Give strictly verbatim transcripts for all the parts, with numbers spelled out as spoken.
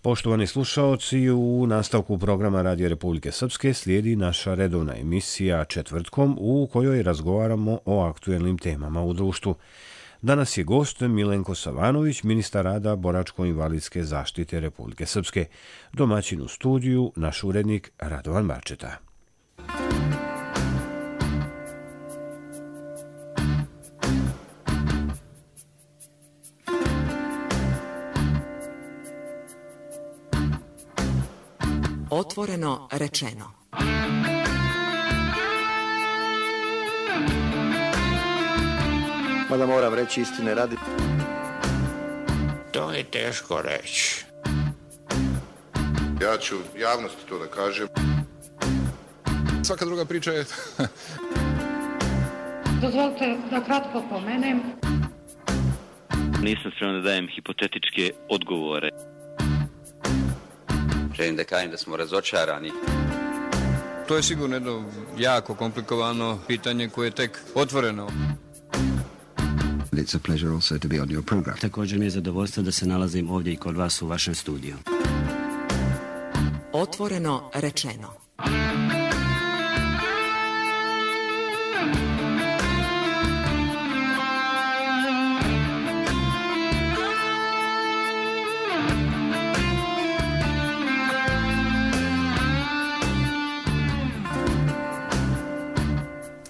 Poštovani slušaoci, u nastavku programa Radio Republike Srpske slijedi naša redovna emisija četvrtkom u kojoj razgovaramo o aktuelnim temama u društvu. Danas je gost Milenko Savanović, ministar rada, boračko-invalidske zaštite Republike Srpske. Domaćin u studiju, naš urednik Radovan Barčeta. Otvoreno rečeno. Mada moram reći istine radi. To je teško reći. Ja ću javnosti to da kažem. Svaka druga priča je... Dozvolite da kratko pomenem. Nisam spreman da dajem hipotetičke odgovore. Želim da kažem da smo razočarani. To je sigurno jedno jako komplikovano pitanje koje je tek otvoreno. It's a pleasure also to be on your program. Također mi je zadovoljstvo da se nalazim ovdje i kod vas u vašem studiju. Otvoreno rečeno.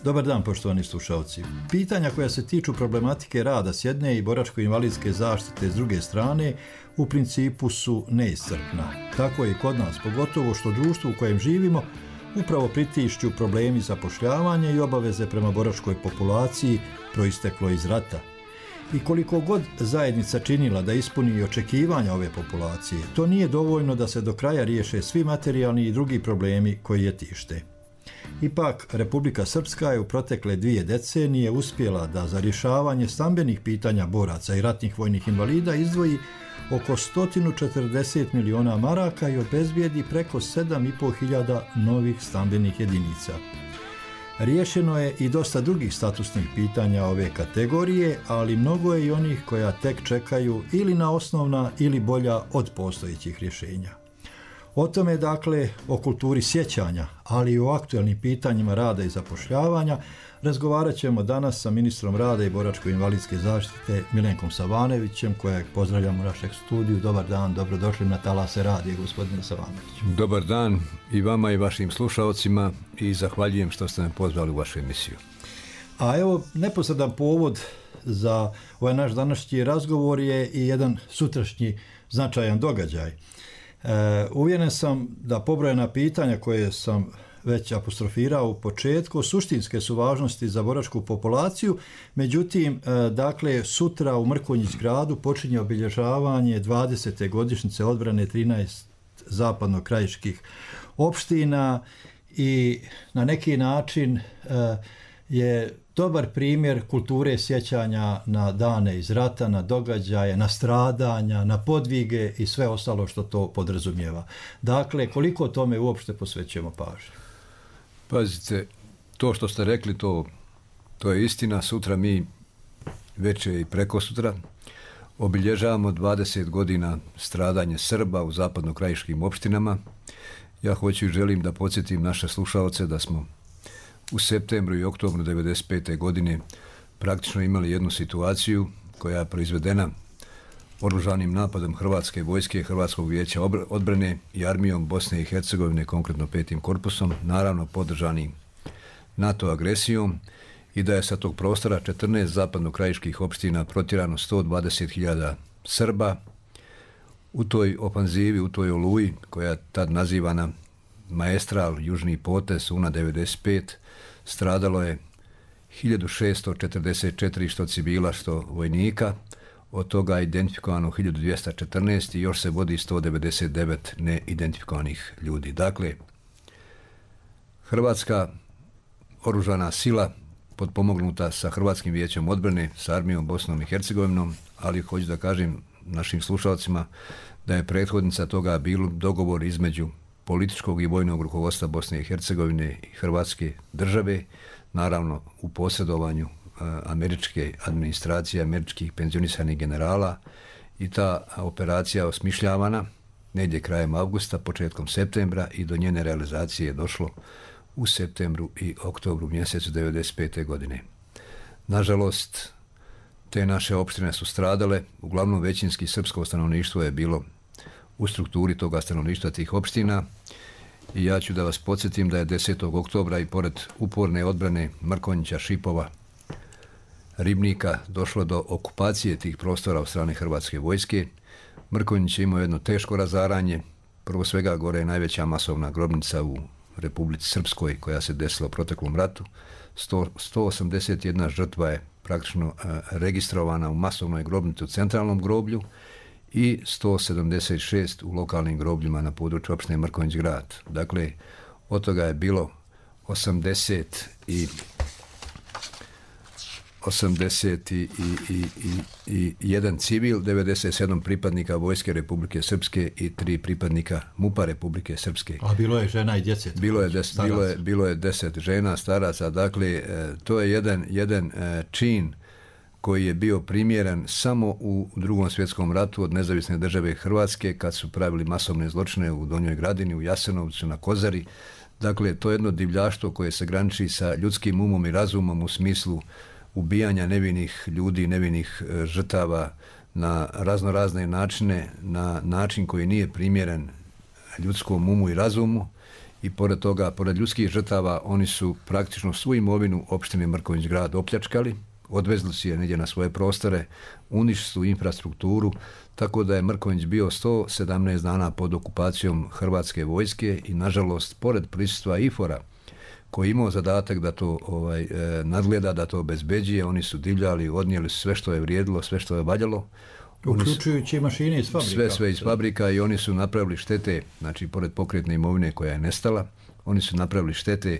Dobar dan, poštovani slušalci. Pitanja koja se tiču problematike rada s jedne i boračko-invalidske zaštite s druge strane u principu su neiscrpna. Tako je i kod nas, pogotovo što društvo u kojem živimo upravo pritišću problemi zapošljavanja i obaveze prema boračkoj populaciji proisteklo iz rata. I koliko god zajednica činila da ispuni očekivanja ove populacije, to nije dovoljno da se do kraja riješe svi materijalni i drugi problemi koji je tište. Ipak, Republika Srpska je u protekle dvije decenije uspjela da za rješavanje stambenih pitanja boraca i ratnih vojnih invalida izdvoji oko sto četrdeset miliona maraka i obezbijedi preko sedam i pol hiljada novih stambenih jedinica. Riješeno je i dosta drugih statusnih pitanja ove kategorije, ali mnogo je i onih koja tek čekaju ili na osnovna ili bolja od postojećih rješenja. O tome, dakle, o kulturi sjećanja, ali i o aktualnim pitanjima rada i zapošljavanja, razgovarat ćemo danas sa ministrom rada i boračko-invalidske zaštite Milenkom Savanovićem, kojeg pozdravljamo u našeg studiju. Dobar dan, dobrodošli na talase radija, gospodine Savanović. Dobar dan i vama i vašim slušalcima i zahvaljujem što ste me pozvali u vašu emisiju. A evo, neposredan povod za ovaj naš današnji razgovor je i jedan sutrašnji značajan događaj. Uh, uvjeren sam da pobrojena pitanja koje sam već apostrofirao u početku suštinske su važnosti za boračku populaciju, međutim, uh, dakle, sutra u Mrkonjić gradu počinje obilježavanje dvadesete godišnjice odbrane trinaest zapadno-krajiških opština i na neki način uh, je dobar primjer kulture sjećanja na dane iz rata, na događaje, na stradanja, na podvige i sve ostalo što to podrazumijeva. Dakle, koliko tome uopšte posvećujemo pažnju? Pazite, to što ste rekli, to, to je istina. Sutra mi, već i preko sutra, obilježavamo dvadeset godina stradanje Srba u zapadno-krajiškim opštinama. Ja hoću i želim da podsjetim naše slušalce da smo u septembru i oktobru devedeset pete godine praktično imali jednu situaciju koja je proizvedena oružanim napadom Hrvatske vojske, Hrvatskog vijeća odbrane i armijom Bosne i Hercegovine, konkretno petim korpusom, naravno podržanim NATO agresijom, i da je sa tog prostora četrnaest zapadno-krajiških opština protjerano sto dvadeset hiljada Srba. U toj ofanzivi, u toj oluji, koja je tad nazivana Maestral, Južni potez, U N A devedeset pet, stradalo je hiljadu šesto četrdeset četiri što civila, što vojnika, od toga je identifikovano hiljadu dvjesto četrnaest i još se vodi sto devedeset devet neidentifikovanih ljudi. Dakle, Hrvatska oružana sila potpomognuta sa Hrvatskim vijećem odbrane, sa armijom Bosnom i Hercegovinom, ali hoću da kažem našim slušalcima da je prethodnica toga bilo dogovor između političkog i vojnog rukovodstva Bosne i Hercegovine i Hrvatske države, naravno u posredovanju e, američke administracije, američkih penzionisanih generala, i ta operacija osmišljavana negdje krajem avgusta, početkom septembra i do njene realizacije je došlo u septembru i oktobru mjesecu devedeset pete. godine. Nažalost, te naše opštine su stradale, uglavnom većinski srpsko stanovništvo je bilo u strukturi toga stanovništva tih opština i ja ću da vas podsjetim da je desetog oktobra i pored uporne odbrane Mrkonjića, Šipova, Ribnika došlo do okupacije tih prostora od strane hrvatske vojske. Mrkonjić je imao jedno teško razaranje. Prvo svega gore je najveća masovna grobnica u Republici Srpskoj koja se desila u proteklom ratu. sto osamdeset jedna žrtva je praktično registrovana u masovnoj grobnici u centralnom groblju i sto sedamdeset šest u lokalnim grobljima na području opštine Mrkonjić grad. Dakle, od toga je bilo osamdeset i osamdeset i, i, i, i jedan civil, devedeset sedam pripadnika Vojske Republike Srpske i tri pripadnika MUP-a Republike Srpske. A bilo je žena i djece? Bilo je, des, bilo je, bilo je deset žena, staraca. Dakle, to je jedan, jedan čin koji je bio primjeren samo u Drugom svjetskom ratu od nezavisne države Hrvatske kad su pravili masovne zločine u Donjoj Gradini, u Jasenovcu, na Kozari. Dakle, to je jedno divljaštvo koje se graniči sa ljudskim umom i razumom u smislu ubijanja nevinih ljudi, nevinih žrtava na raznorazne načine, na način koji nije primjeren ljudskom umu i razumu i pored toga, pored ljudskih žrtava, oni su praktično svu imovinu opštine Mrkonjić grad opljačkali, odvezli su je negdje na svoje prostore, uništili su infrastrukturu, tako da je Mrkonjić bio sto sedamnaest dana pod okupacijom hrvatske vojske i nažalost, pored prisustva I F O R-a, koji je imao zadatak da to ovaj, e, nadgleda, da to obezbeđuje, oni su divljali, odnijeli sve što je vrijedilo, sve što je valjalo. Uključujući mašine iz fabrika. Sve, sve iz fabrika i oni su napravili štete, znači pored pokretne imovine koja je nestala, oni su napravili štete,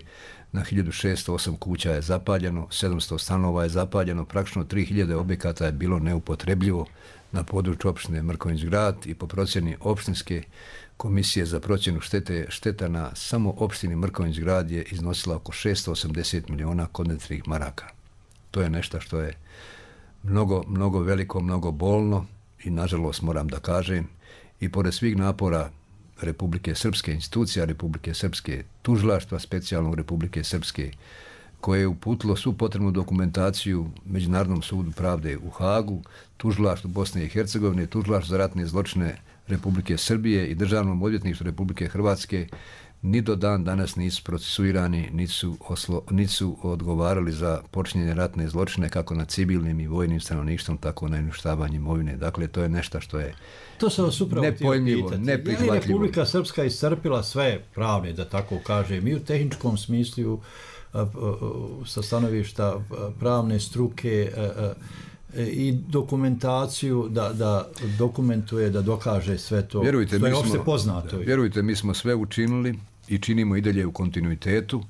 na hiljadu šesto osam kuća je zapaljeno, sedamsto stanova je zapaljeno, praktično tri hiljade objekata je bilo neupotrebljivo na području opštine Mrkonjić grad i po procjeni opštinske komisije za procjenu štete, šteta na samo opštini Mrkonjić grad je iznosila oko šesto osamdeset miliona konvertnih maraka. To je nešto što je mnogo, mnogo veliko, mnogo bolno i nažalost moram da kažem i pored svih napora Republike Srpske, institucija Republike Srpske, tužilaštva specijalnog Republike Srpske, koje je uputilo svu potrebnu dokumentaciju Međunarodnom sudu pravde u Hagu, tužilaštvu Bosne i Hercegovine, tužilaštvu za ratne zločine Republike Srbije i Državnom odvjetništvu Republike Hrvatske, ni do dan danas nisu procesuirani, nisu, oslo, nisu odgovarali za počinjenje ratne zločine kako na civilnim i vojnim stanovništvom, tako na uništavanje imovine. Dakle, to je nešto što je to se vas upravo nepojmljivo, neprihvatljivo. Je Republika Srpska iscrpila sve pravne, da tako kažem, i u tehničkom smislu sa stanovišta pravne struke i dokumentaciju da, da dokumentuje, da dokaže sve to, vjerujte, što je mi opšte smo, poznato. Da, vjerujte, mi smo sve učinili i činimo i dalje u kontinuitetu,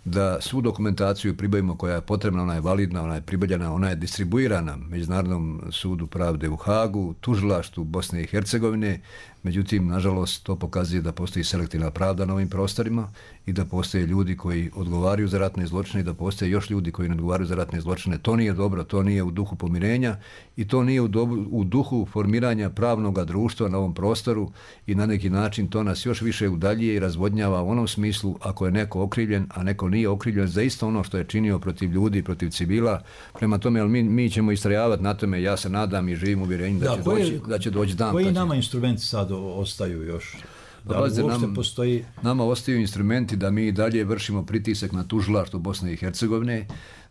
da svu dokumentaciju pribavimo koja je potrebna, ona je validna, ona je pribavljena, ona je distribuirana Međunarodnom sudu pravde u Hagu, tužilaštvu Bosne i Hercegovine, međutim, nažalost, to pokazuje da postoji selektivna pravda na ovim prostorima i da postoje ljudi koji odgovaraju za ratne zločine i da postoje još ljudi koji ne odgovaraju za ratne zločine. To nije dobro, to nije u duhu pomirenja i to nije u, dobu, u duhu formiranja pravnog društva na ovom prostoru i na neki način to nas još više udaljuje i razvodnjava u onom smislu ako je neko okrivljen, a neko nije okrivljen za isto ono što je činio protiv ljudi, protiv civila. Prema tome, ali mi, mi ćemo istrajavati na tome, ja se nadam i živim uvjerenjem da, da, će koji, doći, da će doći dan. Koji će... nama instrumenti sad ostaju još? Da li uopšte nam, postoji... Nama ostaju instrumenti da mi dalje vršimo pritisak na tužilaštvo Bosne i Hercegovine,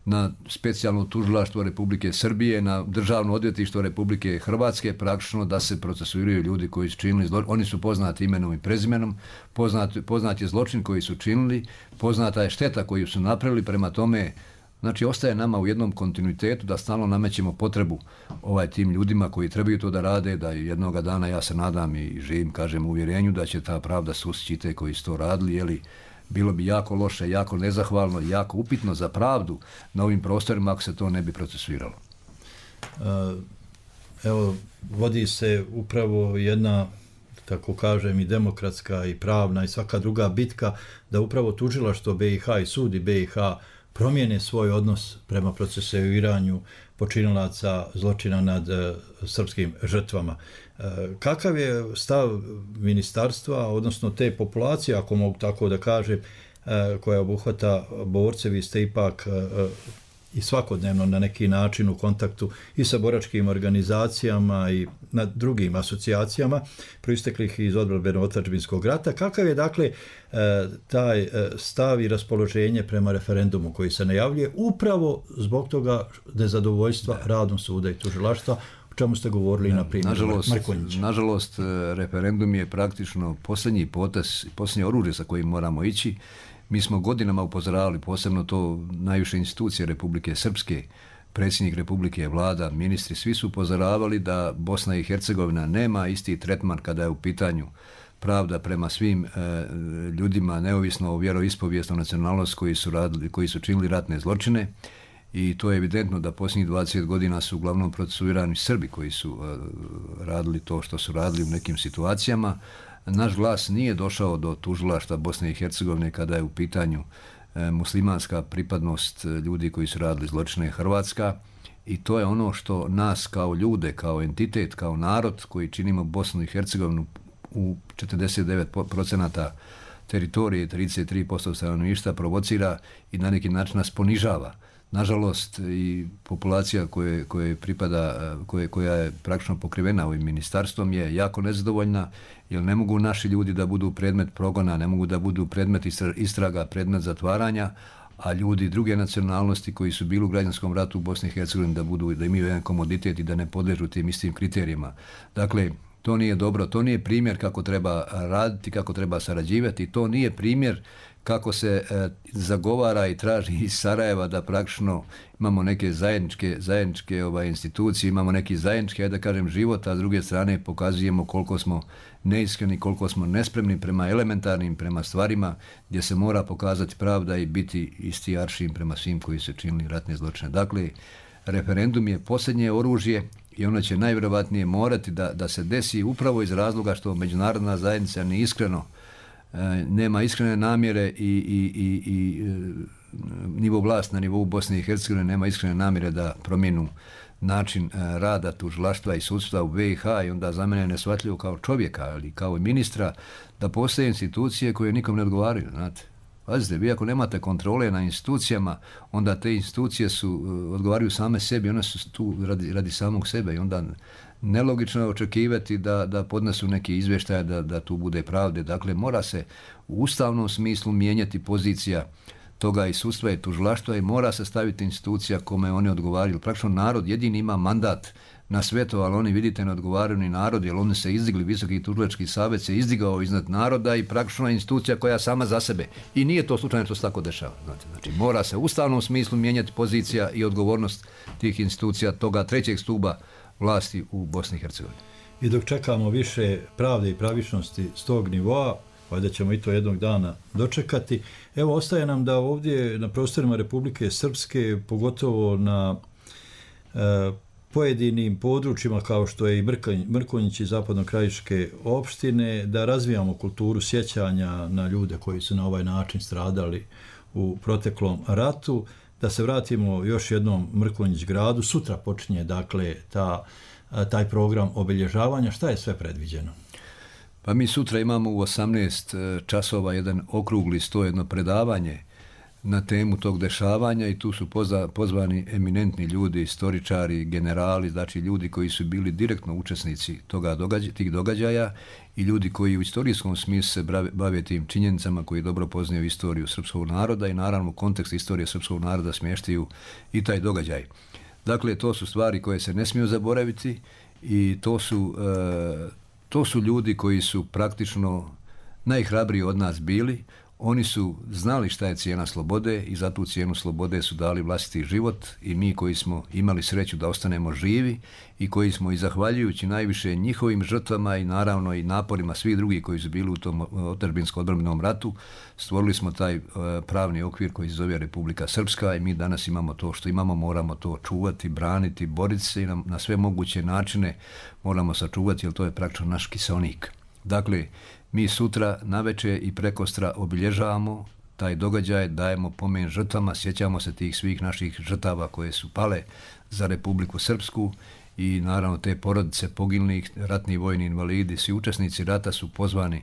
na specijalno tužilaštvo Republike Srbije, na državno odvjetništvo Republike Hrvatske, praktično da se procesuiraju ljudi koji su činili zločin. Oni su poznati imenom i prezimenom, poznat, poznat je zločin koji su činili, poznata je šteta koju su napravili, prema tome, znači ostaje nama u jednom kontinuitetu da stalno namećemo potrebu ovaj tim ljudima koji trebaju to da rade, da jednoga dana ja se nadam i živim, kažem, u uvjerenju da će ta pravda sustići te koji su to radili, jeli bilo bi jako loše, jako nezahvalno, jako upitno za pravdu na ovim prostorima ako se to ne bi procesuiralo. Evo, vodi se upravo jedna, tako kažem, i demokratska i pravna i svaka druga bitka da upravo tužilaštvo B i H i sudi B i H promijene svoj odnos prema procesuiranju počinilaca zločina nad uh, srpskim žrtvama. Kakav je stav ministarstva, odnosno te populacije, ako mogu tako da kažem, koja obuhvata borce? Vi ste ipak i svakodnevno na neki način u kontaktu i sa boračkim organizacijama i na drugim asocijacijama proisteklih iz odbrambeno-otadžbinskog rata. Kakav je dakle taj stav i raspoloženje prema referendumu koji se najavljuje upravo zbog toga nezadovoljstva radom suda i tužilaštva, o čemu ste govorili na primjer Mrkonjića? Nažalost, referendum je praktično posljednji potez, posljednje oružje sa kojim moramo ići. Mi smo godinama upozoravali, posebno to najviše institucije Republike Srpske, predsjednik Republike, vlada, ministri, svi su upozoravali da Bosna i Hercegovina nema isti tretman kada je u pitanju pravda prema svim e, ljudima, neovisno o vjeroispovijesnoj nacionalnosti koji su radili, koji su činili ratne zločine. I to je evidentno da posljednjih dvadeset godina su uglavnom procesuirani Srbi koji su e, radili to što su radili u nekim situacijama. Naš glas nije došao do tužilaštva Bosne i Hercegovine kada je u pitanju e, muslimanska pripadnost ljudi koji su radili zločine Hrvatska, i to je ono što nas kao ljude, kao entitet, kao narod koji činimo Bosnu i Hercegovinu u četrdeset devet procenata teritorije, trideset tri posto stanovništva provocira i na neki način nas ponižava. Nažalost, i populacija koje, koje pripada, koje, koja je praktično pokrivena ovim ministarstvom je jako nezadovoljna, jer ne mogu naši ljudi da budu predmet progona, ne mogu da budu predmet istraga, predmet zatvaranja, a ljudi druge nacionalnosti koji su bili u građanskom ratu u Bosni i Hercegovini da budu, da imaju jedan komoditet i da ne podležu tim istim kriterijima. Dakle, to nije dobro, to nije primjer kako treba raditi, kako treba sarađivati, to nije primjer kako se e, zagovara i traži iz Sarajeva da praktično imamo neke zajedničke, zajedničke ovaj, institucije, imamo neki zajednički, ajde da kažem, život, a s druge strane pokazujemo koliko smo neiskreni, koliko smo nespremni prema elementarnim, prema stvarima gdje se mora pokazati pravda i biti isti aršin prema svim koji su činili ratne zločine. Dakle, referendum je posljednje oružje i ono će najvjerojatnije morati da, da se desi upravo iz razloga što međunarodna zajednica nije iskreno, nema iskrene namjere i, i, i, i nivo vlast na nivou Bosne i Hercegovine nema iskrene namjere da promijenu način rada tužilaštva i sudstva u B i H, i onda za mene je neshvatljivo kao čovjeka, ali kao i ministra, da postoje institucije koje nikom ne odgovaraju, znate. Pazite, vi ako nemate kontrole na institucijama, onda te institucije su, odgovaraju same sebi, one su tu radi, radi samog sebe, i onda nelogično je očekivati da, da podnesu neki izvještaj, da, da tu bude pravde. Dakle, mora se u ustavnom smislu mijenjati pozicija toga i sudstva i tužilaštva i mora se staviti institucija kome oni odgovaraju. Praktično narod jedini ima mandat na svetu, ali oni, vidite, ne odgovaraju ni narod, jer oni se izdigli, Visoki tužilački savjet se izdigao iznad naroda i praktično je institucija koja sama za sebe. I nije to slučajno što se tako dešava. Znači, znači, mora se u ustavnom smislu mijenjati pozicija i odgovornost tih institucija, toga trećeg stuba vlasti u Bosni i Hercegovini. I dok čekamo više pravde i pravičnosti s tog nivoa, valjda ćemo i to jednog dana dočekati. Evo, ostaje nam da ovdje na prostorima Republike Srpske, pogotovo na e, pojedinim područjima kao što je i Mrkonjić i zapadno-krajiške opštine, da razvijamo kulturu sjećanja na ljude koji su na ovaj način stradali u proteklom ratu. Da se vratimo još jednom Mrkonjić gradu. Sutra počinje dakle ta, taj program obilježavanja. Šta je sve predviđeno? Pa mi sutra imamo u osamnaest časova jedan okrugli sto, jedno predavanje na temu tog dešavanja, i tu su pozva, pozvani eminentni ljudi, istoričari, generali, znači ljudi koji su bili direktno učesnici toga događa, tih događaja, i ljudi koji u istorijskom smislu se bave, bave tim činjenicama, koji dobro poznaju istoriju srpskog naroda i naravno kontekst istorije srpskog naroda smještaju i taj događaj. Dakle, to su stvari koje se ne smiju zaboraviti, i to su, e, to su ljudi koji su praktično najhrabriji od nas bili. Oni su znali šta je cijena slobode i za tu cijenu slobode su dali vlastiti život, i mi koji smo imali sreću da ostanemo živi i koji smo, i zahvaljujući najviše njihovim žrtvama i naravno i naporima svih drugih koji su bili u tom otadžbinsko-odbrambenom ratu, stvorili smo taj uh, pravni okvir koji se zove Republika Srpska, i mi danas imamo to što imamo, moramo to čuvati, braniti, boriti se i na, na sve moguće načine moramo sačuvati, jer to je praktično naš kiseonik. Dakle, mi sutra navečer i prekostra obilježavamo taj događaj, dajemo pomen žrtvama, sjećamo se tih svih naših žrtava koje su pale za Republiku Srpsku, i naravno te porodice poginulih, ratni vojni invalidi, svi učesnici rata su pozvani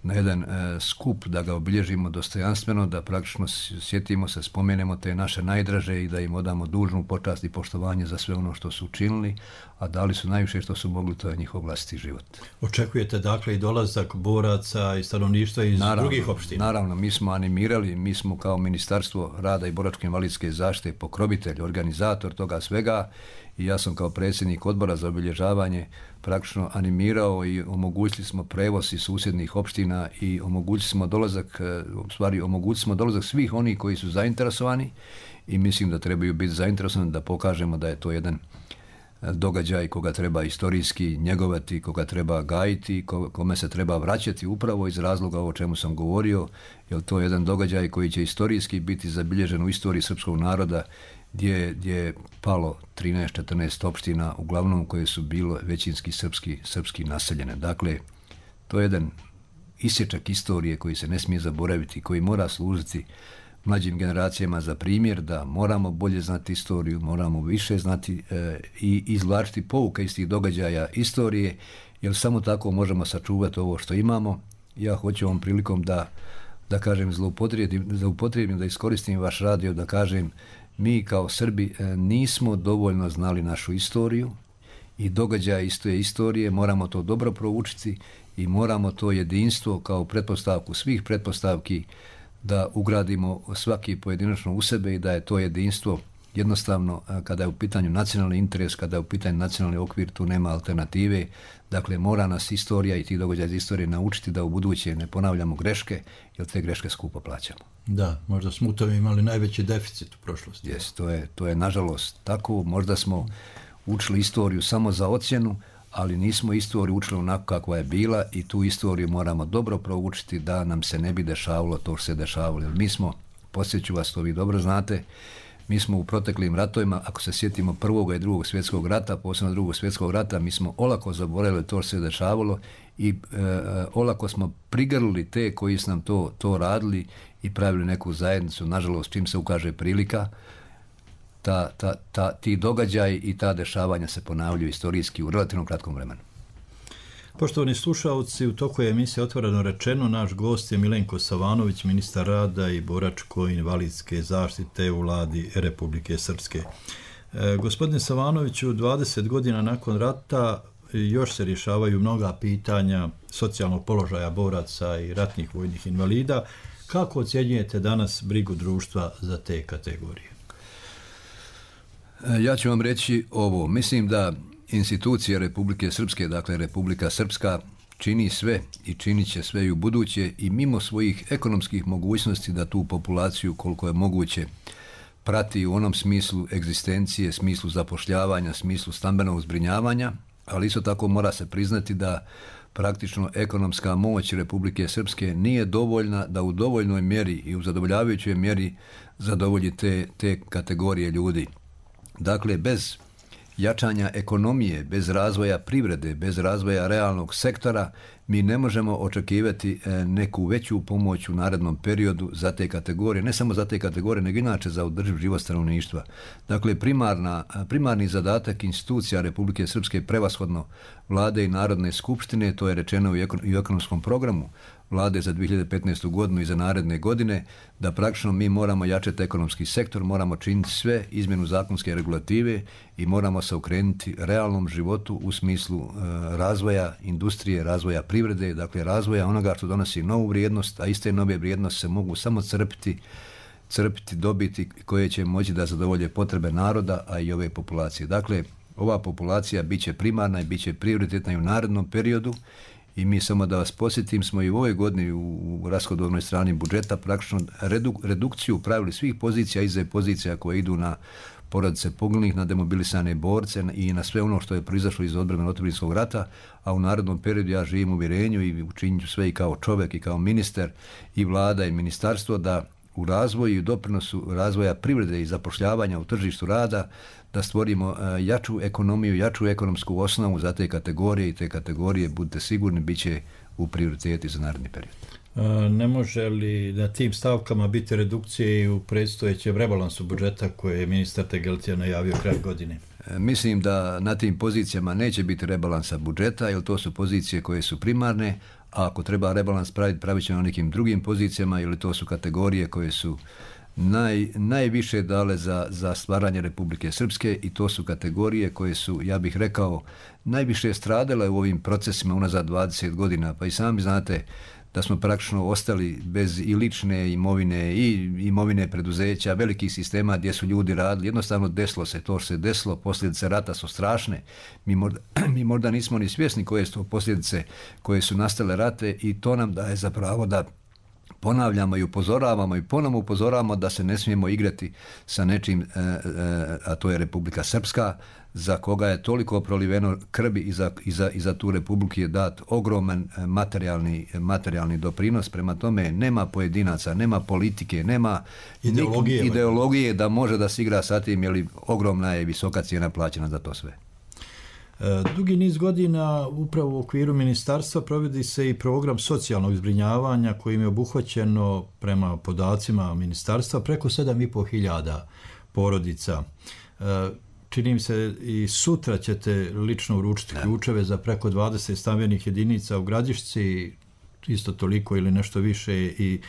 na jedan e, skup da ga obilježimo dostojanstveno, da praktično sjetimo se, spomenemo te naše najdraže i da im odamo dužnu počast i poštovanje za sve ono što su učinili, a dali su najviše što su mogli, to je njihov vlastiti život. Očekujete dakle i dolazak boraca i stanovništva iz naravno, drugih opština? Naravno, mi smo animirali, mi smo kao Ministarstvo rada i boračko-invalidske zaštite pokrovitelj, organizator toga svega i ja sam kao predsjednik odbora za obilježavanje praktično animirao i omogućili smo prevoz iz susjednih opština i omogućili smo dolazak, u stvari omogućili smo dolazak svih onih koji su zainteresovani i mislim da trebaju biti zainteresovani da pokažemo da je to jedan događaj koga treba istorijski njegovati, koga treba gajiti, kome se treba vraćati upravo iz razloga o čemu sam govorio, jer to je jedan događaj koji će istorijski biti zabilježen u istoriji srpskog naroda gdje, gdje je palo trinaest četrnaest opština, uglavnom koje su bilo većinski srpski, srpski naseljene. Dakle, to je jedan isječak istorije koji se ne smije zaboraviti, koji mora služiti mlađim generacijama za primjer da moramo bolje znati istoriju, moramo više znati e, i izvlačiti pouke iz tih događaja istorije, jer samo tako možemo sačuvati ovo što imamo. Ja hoću ovom prilikom da, da kažem, zloupotrijebim, zloupotrijebim, da iskoristim vaš radio, da kažem, mi kao Srbi e, nismo dovoljno znali našu istoriju i događaje iz te istorije, moramo to dobro proučiti i moramo to jedinstvo kao pretpostavku svih pretpostavki da ugradimo svaki pojedinačno u sebe i da je to jedinstvo jednostavno, kada je u pitanju nacionalni interes, kada je u pitanju nacionalni okvir, tu nema alternative. Dakle, mora nas istorija i ti događaji iz istorije naučiti da u buduće ne ponavljamo greške, jer te greške skupo plaćamo. Da, možda smo u tome imali najveći deficit u prošlosti. Jes, to je, to je nažalost tako. Možda smo učili istoriju samo za ocjenu, ali nismo istoriju učili onako kakva je bila i tu istoriju moramo dobro proučiti da nam se ne bi dešavalo to što se dešavalo. Jer mi smo, podsjeću vas, to vi dobro znate, mi smo u proteklim ratovima, ako se sjetimo prvog i drugog svjetskog rata, posebno drugog svjetskog rata, mi smo olako zaboravili to što se dešavalo i e, olako smo prigrlili te koji su nam to, to radili i pravili neku zajednicu. Nažalost, čim se ukaže prilika, Ta, ta, ta, ti događaji i ta dešavanja se ponavljaju istorijski u relativno kratkom vremenu. Poštovani slušalci, u toku je emisije Otvoreno rečeno, naš gost je Milenko Savanović, ministar rada i boračko-invalidske zaštite u vladi Republike Srpske. E, gospodine Savanoviću, dvadeset godina nakon rata još se rješavaju mnoga pitanja socijalnog položaja boraca i ratnih vojnih invalida. Kako ocjenjujete danas brigu društva za te kategorije? Ja ću vam reći ovo. Mislim da institucije Republike Srpske, dakle Republika Srpska, čini sve i činit će sve i u buduće i mimo svojih ekonomskih mogućnosti da tu populaciju koliko je moguće prati u onom smislu egzistencije, smislu zapošljavanja, smislu stambenog zbrinjavanja, ali isto tako mora se priznati da praktično ekonomska moć Republike Srpske nije dovoljna da u dovoljnoj mjeri i u zadovoljavajućoj mjeri zadovolji te, te kategorije ljudi. Dakle, bez jačanja ekonomije, bez razvoja privrede, bez razvoja realnog sektora, mi ne možemo očekivati neku veću pomoć u narednom periodu za te kategorije, ne samo za te kategorije, nego inače za održiv život stanovništva. Dakle, primarna, primarni zadatak institucija Republike Srpske, prevashodno Vlade i Narodne skupštine, to je rečeno i u ekonomskom programu Vlade za dvije hiljade petnaestu godinu i za naredne godine, da praktično mi moramo jačati ekonomski sektor, moramo činiti sve izmjenu zakonske regulative i moramo se okrenuti realnom životu u smislu e, razvoja industrije, razvoja privrede, dakle razvoja onoga što donosi novu vrijednost, a iste nove vrijednosti se mogu samo crpiti, crpiti, dobiti koje će moći da zadovolje potrebe naroda, a i ove populacije. Dakle, ova populacija bit će primarna i bit će prioritetna i u narednom periodu. I mi, samo da vas posjetim, smo i u ovoj godini u rashodovnoj strani budžeta praktično reduk, redukciju pravili svih pozicija iza pozicija koje idu na porodice poginulih, na demobilisane borce i na sve ono što je proizašlo iz odbrane otadžbinskog rata, a u narednom periodu ja živim u uvjerenju i učinit ću sve i kao čovjek i kao ministar i vlada i ministarstvo da u razvoju i doprinosu razvoja privrede i zapošljavanja u tržištu rada da stvorimo jaču ekonomiju, jaču ekonomsku osnovu za te kategorije i te kategorije, budite sigurni, bit će u prioriteti za naredni period. Ne može li na tim stavkama biti redukcije i u predstojećem rebalansu budžeta koje je ministar Tegeltija najavio kraj godine? Mislim da na tim pozicijama neće biti rebalansa budžeta, jer to su pozicije koje su primarne, a ako treba rebalans praviti, pravit ćemo na nekim drugim pozicijama, ili to su kategorije koje su naj, najviše dale za, za stvaranje Republike Srpske, i to su kategorije koje su, ja bih rekao, najviše stradale u ovim procesima unazad dvadeset godina. Pa i sami znate da smo praktično ostali bez i lične imovine i imovine preduzeća, velikih sistema gdje su ljudi radili. Jednostavno desilo se to što se desilo, posljedice rata su strašne. Mi možda, mi možda nismo ni svjesni koje su posljedice koje su nastale rate, i to nam daje za pravo da ponavljamo i upozoravamo i ponovno upozoravamo da se ne smijemo igrati sa nečim, e, e, a to je Republika Srpska, za koga je toliko proliveno krvi, i za, i za, i za tu Republiku je dat ogroman materijalni, materijalni doprinos. Prema tome nema pojedinaca, nema politike, nema ideologije, nik, ideologije da može da se igra sa tim, jer ogromna je visoka cijena plaćena za to sve. Dugi niz godina upravo u okviru ministarstva provodi se i program socijalnog zbrinjavanja kojim je obuhvaćeno prema podacima ministarstva preko sedam i pol hiljada porodica. Čini mi se i sutra ćete lično uručiti ključeve za preko dvadeset stambenih jedinica u Gradišci, isto toliko ili nešto više i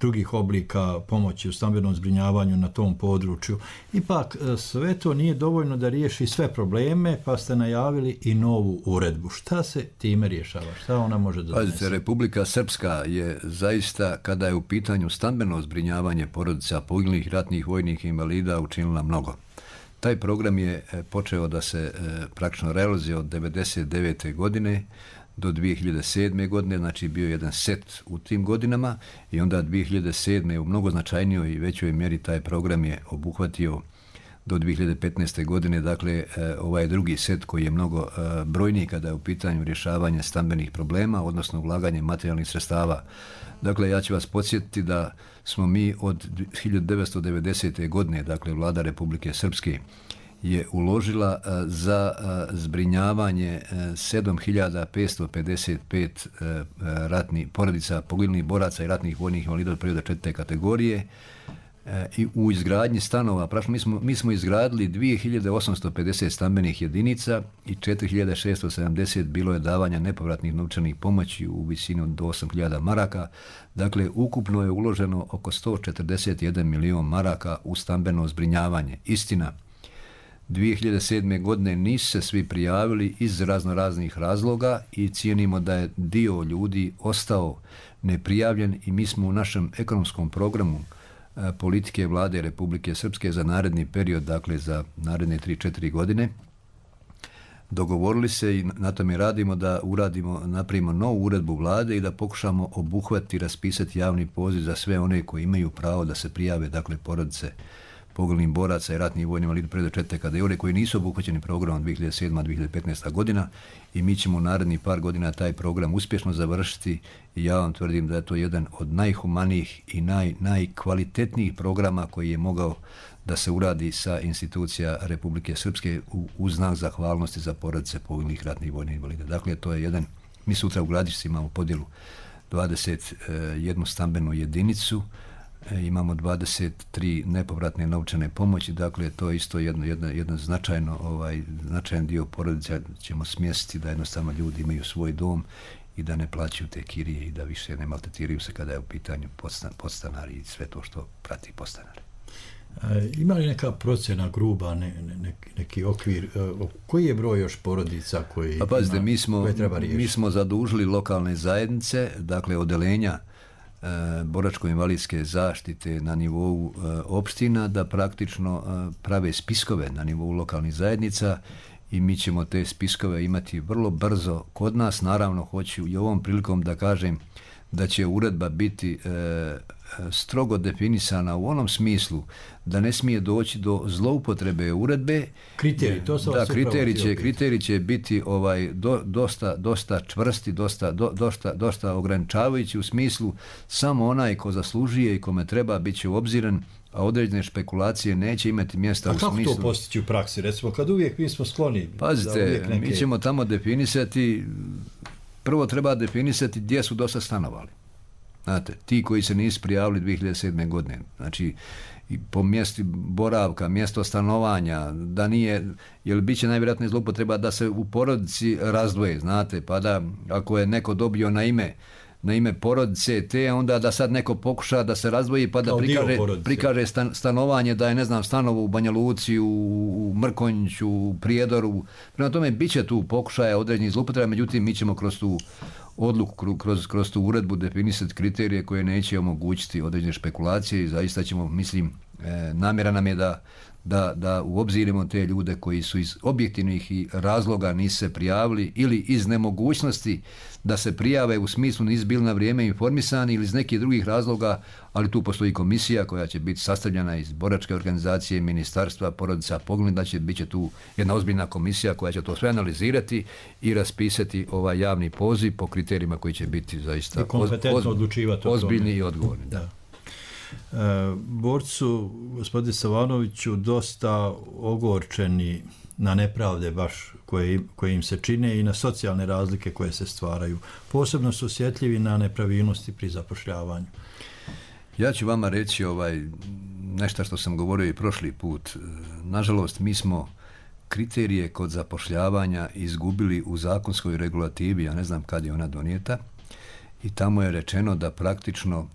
drugih oblika pomoći u stambenom zbrinjavanju na tom području. Ipak sve to nije dovoljno da riješi sve probleme, pa ste najavili i novu uredbu. Šta se time rješava? Šta ona može da donese? Republika Srpska je zaista, kada je u pitanju stambeno zbrinjavanje porodica poginulih ratnih vojnih invalida, učinila mnogo. Taj program je počeo da se praktično realizuje od devedeset devete godine do dvije hiljade sedme godine, znači bio jedan set u tim godinama, i onda dvije hiljade sedme u mnogo značajnijoj i većoj mjeri taj program je obuhvatio do dvije hiljade petnaeste godine, dakle ovaj drugi set koji je mnogo brojniji kada je u pitanju rješavanja stambenih problema, odnosno ulaganje materijalnih sredstava. Dakle, ja ću vas podsjetiti da smo mi od hiljadu devetsto devedesete godine, dakle vlada Republike Srpske, je uložila za zbrinjavanje sedam hiljada petsto pedeset pet ratnih porodica poginulih boraca i ratnih vojnih invalida od perioda četvrte kategorije, i u izgradnji stanova. Mi smo, mi smo izgradili dvije hiljade osamsto pedeset stambenih jedinica i četiri hiljade šesto sedamdeset bilo je davanja nepovratnih novčanih pomoći u visini od osam hiljada maraka. Dakle, ukupno je uloženo oko sto četrdeset jedan milion maraka u stambeno zbrinjavanje. Istina, dvije hiljade sedme godine nisu se svi prijavili iz razno raznih razloga i cijenimo da je dio ljudi ostao neprijavljen, i mi smo u našem ekonomskom programu politike vlade Republike Srpske za naredni period, dakle za naredne tri četiri godine, dogovorili se i na tome radimo da uradimo, napravimo novu uredbu vlade i da pokušamo obuhvatiti, raspisati javni poziv za sve one koji imaju pravo da se prijave, dakle porodice poginulih boraca i ratnih vojnih invalida perioda četvrte kategorije koji nisu obuhvaćeni programom dvije hiljade sedma do dvije hiljade petnaeste. godina, i mi ćemo u narednih par godina taj program uspješno završiti, i ja vam tvrdim da je to jedan od najhumanijih i naj, najkvalitetnijih programa koji je mogao da se uradi sa institucija Republike Srpske u, u znak zahvalnosti za porodice poginulih ratnih vojnih invalida. Dakle, to je jedan, mi sutra u Gradišci imamo podjelu dvadeset jednu stambenu jedinicu, imamo dvadeset tri nepovratne novčane pomoći, dakle to je isto jedno, jedno, jedno značajno, ovaj, značajan dio porodica ćemo smjestiti da jednostavno ljudi imaju svoj dom i da ne plaćaju te kirije i da više ne maltretiraju se kada je u pitanju podstan, podstanari i sve to što prati podstanari. E, ima li neka procjena gruba, ne, ne, neki okvir, e, koji je broj još porodica koji, pa, pazite, ima, mi smo, koje treba riješiti? Mi smo zadužili lokalne zajednice, dakle odelenja e, boračko-invalidske zaštite na nivou e, opština da praktično e, prave spiskove na nivou lokalnih zajednica i mi ćemo te spiskove imati vrlo brzo kod nas. Naravno, hoću i ovom prilikom da kažem da će uredba biti e, strogo definisana u onom smislu da ne smije doći do zloupotrebe uredbe. Kriteriji, to sam da, vas kriteriji će, kriteriji će biti ovaj, do, dosta, dosta čvrsti, dosta, do, dosta, dosta ograničavajući u smislu samo onaj ko zaslužuje i kome treba bit će obziran, a određene špekulacije neće imati mjesta u smislu. A kako to postići u praksi? Recimo, kad uvijek mi smo skloni... Pazite, neke... mi ćemo tamo definisati, prvo treba definisati gdje su dosta stanovali. Znate, ti koji se nisu prijavili dvije hiljade sedme. godine, znači i po mjestu boravka, mjesto stanovanja, da nije, jer bit će najvjerojatnije zloupotreba da se u porodici razdvoje, znate, pa da ako je neko dobio na ime na ime porodice te, onda da sad neko pokuša da se razdvoji pa da prikaže, prikaže stan, stanovanje, da je, ne znam, stanovo u Banja Luci, u, u Mrkonjiću, u Prijedoru. Prema tome, bit će tu pokušaja određenih zloupotreba, međutim, mi ćemo kroz tu odluku, kroz, kroz tu uredbu definisati kriterije koje neće omogućiti određene špekulacije i zaista ćemo, mislim, e, namjera nam je da Da, da uobzirimo te ljude koji su iz objektivnih razloga nisu se prijavili ili iz nemogućnosti da se prijave u smislu nisu bili na vrijeme informisani ili iz nekih drugih razloga, ali tu postoji komisija koja će biti sastavljena iz boračke organizacije, ministarstva, porodica, pogled, da će bit će tu jedna ozbiljna komisija koja će to sve analizirati i raspisati ovaj javni poziv po kriterijima koji će biti zaista kompetentno odlučivati ozbiljni i odgovorni. Da. E, borcu, gospodine Savanoviću, dosta ogorčeni na nepravde baš koje, koje im se čine i na socijalne razlike koje se stvaraju. Posebno su osjetljivi na nepravilnosti pri zapošljavanju. Ja ću vama reći ovaj, nešto što sam govorio i prošli put. Nažalost, mi smo kriterije kod zapošljavanja izgubili u zakonskoj regulativi, ja ne znam kad je ona donijeta, i tamo je rečeno da praktično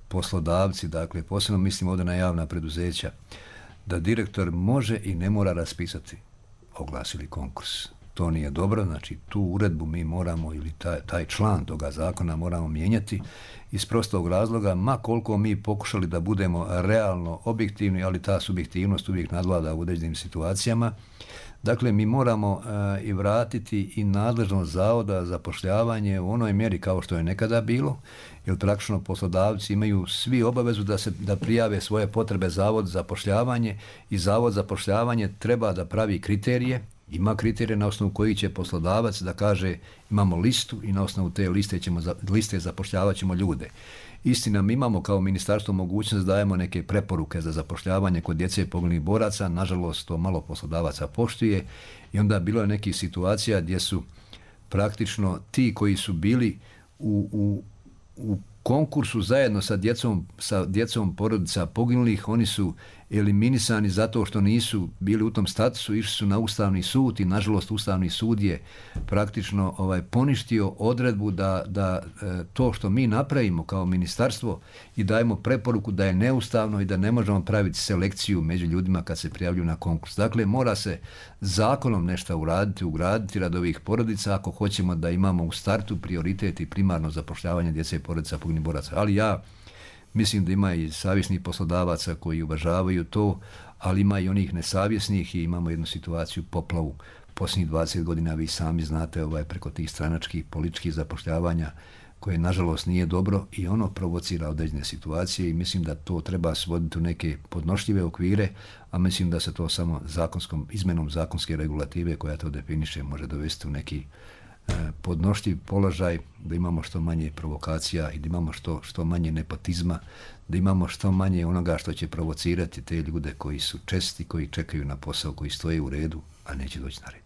poslodavci, dakle, posebno mislim ovdje na javna preduzeća, da direktor može i ne mora raspisati oglas ili konkurs. To nije dobro, znači tu uredbu mi moramo, ili taj, taj član toga zakona moramo mijenjati iz prostog razloga, ma koliko mi pokušali da budemo realno objektivni, ali ta subjektivnost uvijek nadvlada u određenim situacijama. Dakle, mi moramo uh, i vratiti i nadležnost zavoda za zapošljavanje u onoj mjeri kao što je nekada bilo, jer praktično poslodavci imaju svi obavezu da se da prijave svoje potrebe zavod za zapošljavanje i zavod za zapošljavanje treba da pravi kriterije, ima kriterije na osnovu kojih će poslodavac da kaže imamo listu i na osnovu te liste ćemo liste zapošljavat ćemo ljude. Istina, mi imamo kao ministarstvo mogućnost da dajemo neke preporuke za zapošljavanje kod djece i poginulih boraca, nažalost to malo poslodavaca poštuje i onda bilo je nekih situacija gdje su praktično ti koji su bili u, u, u konkursu zajedno sa djecom, sa djecom porodica poginulih, oni su eliminisani zato što nisu bili u tom statusu, išli su na Ustavni sud i nažalost Ustavni sud je praktično ovaj, poništio odredbu da, da e, to što mi napravimo kao ministarstvo i dajemo preporuku da je neustavno i da ne možemo praviti selekciju među ljudima kad se prijavljuju na konkurs. Dakle, mora se zakonom nešto uraditi, ugraditi radi ovih porodica ako hoćemo da imamo u startu prioritet i primarno zapošljavanje djece i porodica poginulih boraca. Ali ja mislim da ima i savjesnih poslodavaca koji uvažavaju to, ali ima i onih nesavjesnih i imamo jednu situaciju, poplavu posljednjih dvadeset godina, vi sami znate ovaj, preko tih stranačkih političkih zapošljavanja koje nažalost nije dobro i ono provocira određene situacije i mislim da to treba svoditi u neke podnošljive okvire, a mislim da se to samo zakonskom, izmenom zakonske regulative koja to definiše može dovesti u neki podnošljiv položaj, da imamo što manje provokacija i da imamo što, što manje nepotizma, da imamo što manje onoga što će provocirati te ljude koji su česti, koji čekaju na posao, koji stoje u redu, a neće doći na red.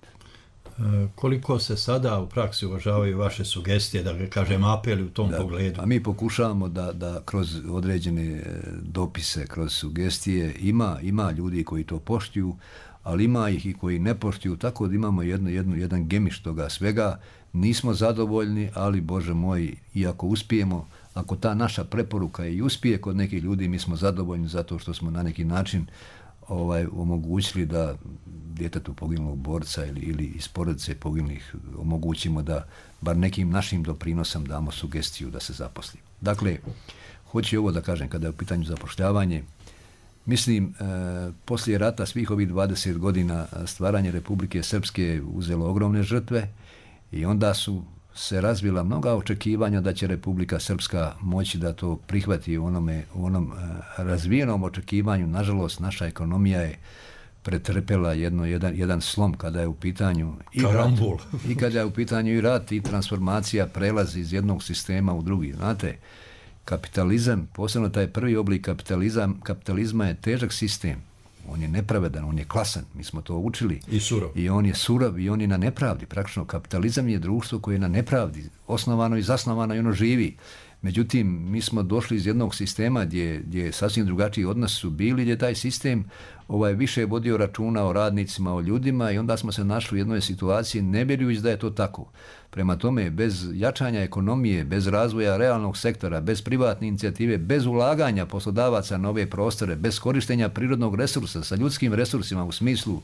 E, koliko se sada u praksi uvažavaju vaše sugestije, da kažem apeli u tom da, pogledu? A mi pokušavamo da, da kroz određene dopise, kroz sugestije, ima, ima ljudi koji to poštuju, ali ima ih i koji ne poštuju, tako da imamo jedno, jedno, jedan gemiš toga svega. Nismo zadovoljni, ali Bože moj, i ako uspijemo, ako ta naša preporuka i uspije kod nekih ljudi, mi smo zadovoljni zato što smo na neki način ovaj, omogućili da djetetu poginulog borca ili, ili iz porodice poginulih omogućimo da bar nekim našim doprinosom damo sugestiju da se zaposli. Dakle, hoću ovo da kažem, kada je u pitanju zapošljavanje, mislim, e, poslije rata svih ovih dvadeset godina stvaranje Republike Srpske uzelo ogromne žrtve i onda su se razvila mnoga očekivanja da će Republika Srpska moći da to prihvati u onome, u onom e, razvijenom očekivanju. Nažalost, naša ekonomija je pretrpela jedno, jedan, jedan slom kada je u pitanju i rat, i kada je u pitanju i rat i transformacija, prelazi iz jednog sistema u drugi. Znate, kapitalizam, posebno taj prvi oblik kapitalizam, kapitalizma je težak sistem. On je nepravedan, on je klasan, mi smo to učili. I surov. I on je surov i on je na nepravdi. Praktično kapitalizam je društvo koje je na nepravdi, osnovano i zasnovano i ono živi. Međutim, mi smo došli iz jednog sistema gdje, gdje sasvim drugačiji odnos su bili, gdje taj sistem ovaj, više je vodio računa o radnicima, o ljudima i onda smo se našli u jednoj situaciji ne vjerujući da je to tako. Prema tome, bez jačanja ekonomije, bez razvoja realnog sektora, bez privatne inicijative, bez ulaganja poslodavaca na ove prostore, bez korištenja prirodnog resursa sa ljudskim resursima u smislu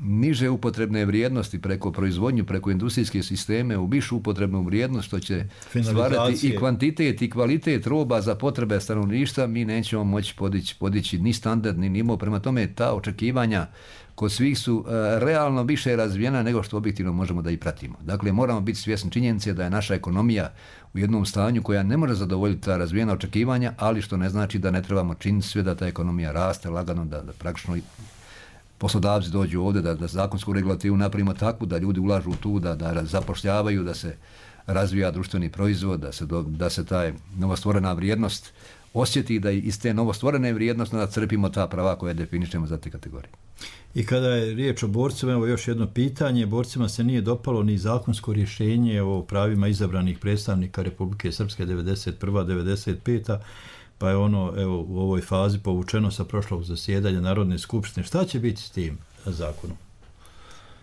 niže upotrebne vrijednosti preko proizvodnju, preko industrijske sisteme u višu upotrebnu vrijednost što će stvarati i kvantitet i kvalitet roba za potrebe stanovništva, mi nećemo moći podići, podići ni standard ni nivo. Prema tome, ta očekivanja kod svih su uh, realno više razvijena nego što objektivno možemo da i pratimo. Dakle, moramo biti svjesni činjenice da je naša ekonomija u jednom stanju koja ne može zadovoljiti ta razvijena očekivanja, ali što ne znači da ne trebamo činiti sve da ta ekonomija raste lagano, da, da praktično poslodavci dođu ovdje, da, da zakonsku regulativu napravimo takvu, da ljudi ulažu tu, da, da zapošljavaju, da se razvija društveni proizvod, da se, do, da se taj novostvorena vrijednost osjeti, da iz te novostvorene vrijednosti da crpimo ta prava koje definišemo za te kategorije. I kada je riječ o borcima, evo još jedno pitanje, borcima se nije dopalo ni zakonsko rješenje o pravima izabranih predstavnika Republike Srpske devedeset prva devedeset peta pa je ono evo u ovoj fazi povučeno sa prošlog zasjedanja Narodne skupštine. Šta će biti s tim zakonom?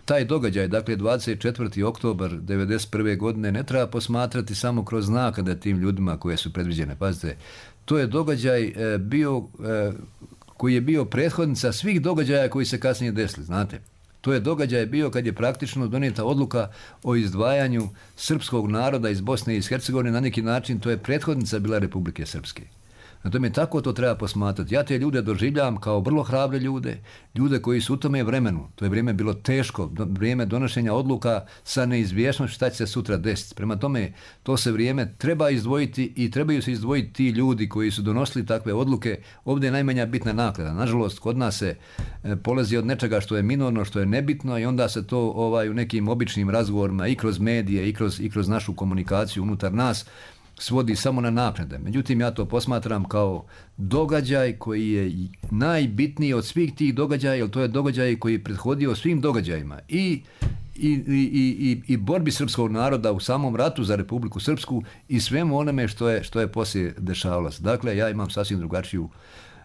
Taj događaj, dakle dvadeset četvrti oktobar devedeset prve godine ne treba posmatrati samo kroz naknade tim ljudima koje su predviđene. Pazite, to je događaj e, bio e, koji je bio prethodnica svih događaja koji se kasnije desili, znate. To je događaj bio kad je praktično donijeta odluka o izdvajanju srpskog naroda iz Bosne i iz Hercegovine, na neki način to je prethodnica bila Republike Srpske. Na tome tako to treba posmatrati. Ja te ljude doživljavam kao vrlo hrabre ljude, ljude koji su u tome vremenu, to je vrijeme bilo teško, vrijeme donošenja odluka sa neizvjesnošću šta će se sutra desiti. Prema tome, to se vrijeme treba izdvojiti i trebaju se izdvojiti ti ljudi koji su donosili takve odluke. Ovdje je najmanja bitna naklada. Nažalost, kod nas se polazi od nečega što je minorno, što je nebitno i onda se to ovaj, u nekim običnim razgovorima i kroz medije i kroz, i kroz našu komunikaciju unutar nas svodi samo na naknade. Međutim, ja to posmatram kao događaj koji je najbitniji od svih tih događaja, jer to je događaj koji je prethodio svim događajima i, i, i, i, i borbi srpskog naroda u samom ratu za Republiku Srpsku i svemu onome što je, što je poslije dešavalo se. Dakle, ja imam sasvim drugačiju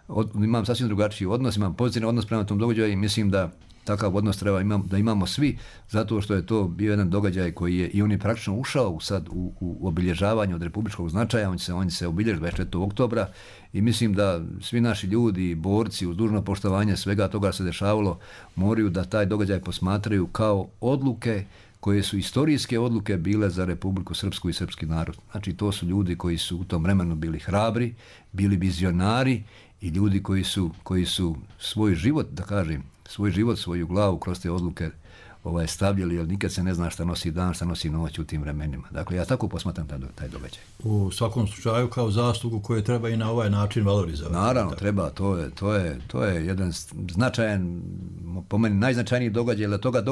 od, imam sasvim drugačiji odnos, imam pozitivan odnos prema tom događaju i mislim da takav odnos treba imam, da imamo svi, zato što je to bio jedan događaj koji je, i on je praktično ušao sad u, u obilježavanje od republičkog značaja, on će se, on će se obilježiti dvadeset četvrtog oktobra i mislim da svi naši ljudi, borci, uz dužno poštovanje svega toga se dešavalo, moraju da taj događaj posmatraju kao odluke koje su istorijske odluke bile za Republiku Srpsku i srpski narod. Znači, to su ljudi koji su u tom vremenu bili hrabri, bili vizionari i ljudi koji su, koji su svoj život, da kažem, svoj život, svoju glavu kroz te odluke ovaj, stavljali, jer nikad se ne zna šta nosi dan, šta nosi noć u tim vremenima. Dakle, ja tako posmatram taj, taj događaj. U svakom slučaju kao zaslugu koju treba i na ovaj način valorizovati. Naravno, tako. treba. To je, to, je, to je jedan značajan, po meni najznačajniji događaj, da toga,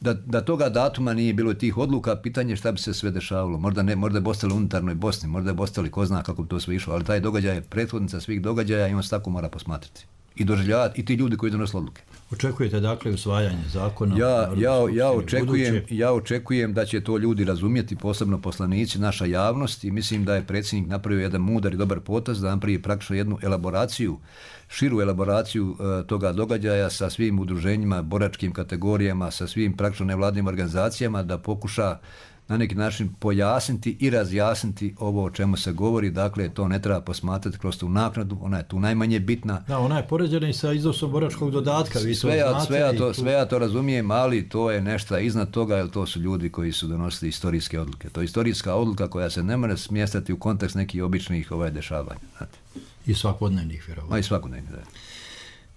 da, da toga datuma nije bilo tih odluka, pitanje šta bi se sve dešavalo. Možda ne, možda je ostali unutarnoj Bosni, možda je ostali ko zna kako bi to sve išlo, ali taj događaj je prethodnica svih događaja i on se tako mora posmatrati. I doživljavati i ti ljudi koji donose odluke. Očekujete dakle usvajanje zakona? Ja, ja, ja, očekujem, ja očekujem da će to ljudi razumjeti, posebno poslanici, naša javnost i mislim da je predsjednik napravio jedan mudar i dobar potez da napravi praktično jednu elaboraciju, širu elaboraciju uh, toga događaja sa svim udruženjima, boračkim kategorijama, sa svim praktično nevladnim organizacijama da pokuša na neki način pojasniti i razjasniti ovo o čemu se govori, dakle to ne treba posmatrati kroz tu naknadu, ona je tu najmanje bitna. Da, ona je poređena i sa iznosom boračkog dodatka, vi sve, to ja, znate. Sve ja to, tu... sve ja to razumijem, ali to je nešto iznad toga, jer to su ljudi koji su donosili istorijske odluke. To je istorijska odluka koja se ne može smjestati u kontekst nekih običnih ovaj, dešavanja. Znate. I svakodnevnih, vjerovatno. Ma i svakodnevnih, da.